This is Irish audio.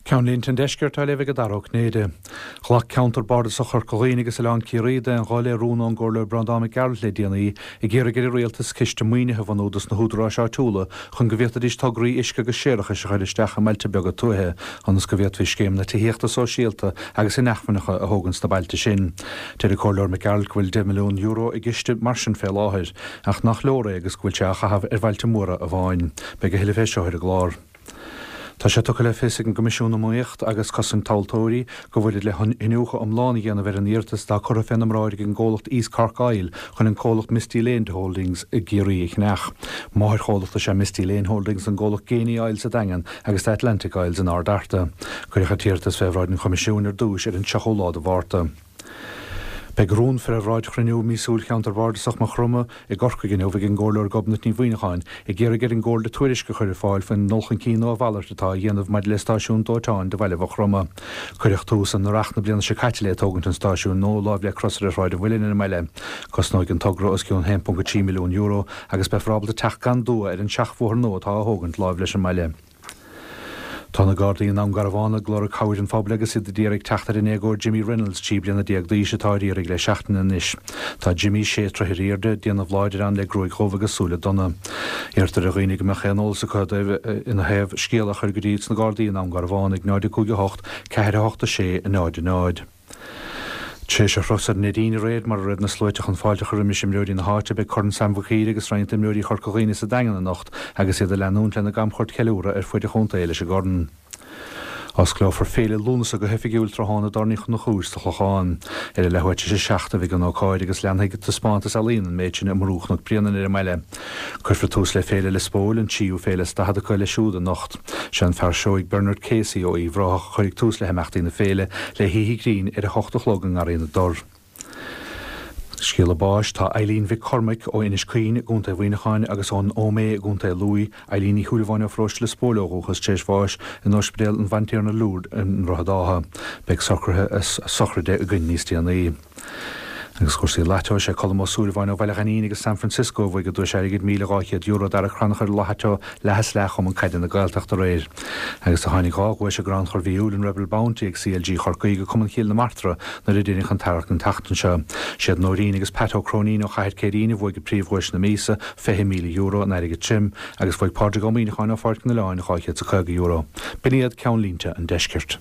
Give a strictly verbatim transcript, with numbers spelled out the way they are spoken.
Ceannlínte an Deiscirt á léamh ag Dara Ó Cinnéide. Ghlac Ceantar Bardasach Chorca Dhuibhne agus Oileán Ciarraí d'aon ghuth le rún ón gComhairleoir Breandán Mac Gearailt le déanaí ag iarraidh ar an Rialtas ciste maoinithe a bhunú dos na húdaráis áitiúla chun go bhféadfaidís tograí uisce agus séarachais a chur isteach i mbailte beaga tuaithe ionas go bhféadfaí scéimeanna tithíochta sóisialta agus inacmhainneacha a thógaint sna bailte sin. Deir an Comhairleoir Mac Gearailt go bhfuil deich milliún euro i gciste mar sin fé láthair, ach nach leor é agus go bhfuil sé á chaitheamh ar bhailte móra amháin. Beidh a thuilleadh fé seo ar an gclár. Tá sé tugtha le fios ag an gCoimisiún Iomaíochta agus Cosaint Tomhaltóirí go bhfuilid le hiniúchadh iomlán a dhéanamh ar an iarratas atá curtha féna mbráid ag an gcomhlacht East Cork Oil chun an comhlacht Misty Lane Holdings i gCiarraí a cheannach. Máthairchomhlacht is ea Misty Lane Holdings an gcomhlacht Geaney Oil sa Daingean agus Atlantic Oils in Ard Fhearta. Cuireadh an t-iarratas fé bhráid an Choimisiúin ar dtús ar an tríochú lá de Mhárta. Beidh rún fé bhráid chruinniú míosúil Cheantar Bardasach Mhaigh Chromtha i gCorcaigh inniu ag an gComhairleoir Gobnait Ní Mhuineacháin ag iarraidh ar an gComhairle tuairisc a chur ar fáil faoin ndul chun cinn nó a mhalairt atá á dhéanamh maidir le stáisiún dóiteáin do bhaile Mhaigh Chromtha. Cuireadh tús in earrach na bliana seo caite le tógaint an stáisiúin nua láimh le Crosaire Shráid an Mhuilinn ar an mbaile. Cosnóidh an togra os cionn haon ponc a trí milliún euro agus beifear ábalta teacht gan dua ar an seachbhóthar nua atá á thógaint láimh leis an mbaile. Tá na Gardaí i nDún Garbhán ag lorg cabhair an phobail agus iad ag iarraidh teacht ar an ndéagóir Jimmy Reynolds, trí bliana déag d'aois, atá ar iarraidh le seachtain anois. Tá Jimmy sé troithe ar airde, déanamh láidir ann le gruaig dhubh agus súile donna. Iarrtar ar dhaoine go mbeadh aon eolas acu ina thaobh scéala a chur go dtí sna Gardaí i nDún Garbhán ag náid a cúig a hocht, ceathair a hocht a sé, náid a náid. Tar éis a thuras ar an Neidín aréir, mar a raibh na sluaite chun fáilte a chur roimis imreoirí na háite, beidh Corn Sam Mhic Uidhir agus roinnt d'imreoirí Chorca Dhuibhne sa Daingean anocht agus iad ag leanúint lena gcamchuairt cheiliúradh ar fuaid an chontae leis an gcorn. Osclófar Féile Lúnasa go hoifigiúil tráthnóna i dTábhairne Uí Chonchúir sa Chlochán. Ar a leathuair tar éis a seacht a bheidh an ócáid agus leanfaidh taispeántas ealaíon an méid sin i mBrú Chnoc Bréanainn ar an mbaile. Cuirfear tús le Féile Lios Póil, an tríú féile is daichead acu eile siúd anocht. Sé an fear seoigh Bernard Casey ó Uíbh Ráthach a chuirfidh tús le himeachtaí na féile le hoíche ghrinn ar a hocht a chlog i nGarraí na dTor. Scéala báis, Tá Eileen Mhic Cormaic ó Inis Caoin i gContae Mhuineacháin agus ón Óméith i gContae Lú, Eileen Ní Shúilleabháin ó Pharóiste Lios Póil ó dhúchas, tar éis bháis in Ospidéal an Bhantiarna Lourdes i nDroichead Átha. Beidh socruithe a sochraide againn níos déanaí. Agus cúrsaí lató, Sé Colm Ó Súilleabháin ó Bhaile Ghainín agus San Francisco a bhuaigh an duais airgid míle dhá chéad euro d'Ara Crannchur Lató leath is leath Chumann Caide na Gaeltachta aréir. Agus do tháinig dhá dhuais i gCrannchur mhí Iúil an Rebel Bounty ag C L G Chorcaí go Cumann Chill na Martra nuair a deineadh an t-earrach an tseachtain seo. Siad Nóirín agus Pat Ó Cróinín ó Chathair Céirín a bhuaigh príomhdhuais na míosa, fiche míle euro in airgead tirim, agus bhuaigh Pádraig Ó Muíneacháin ó Pháirc an Oileáin dhá chéad is a caoga euro. B'in iad ceannlínte an deiscirt.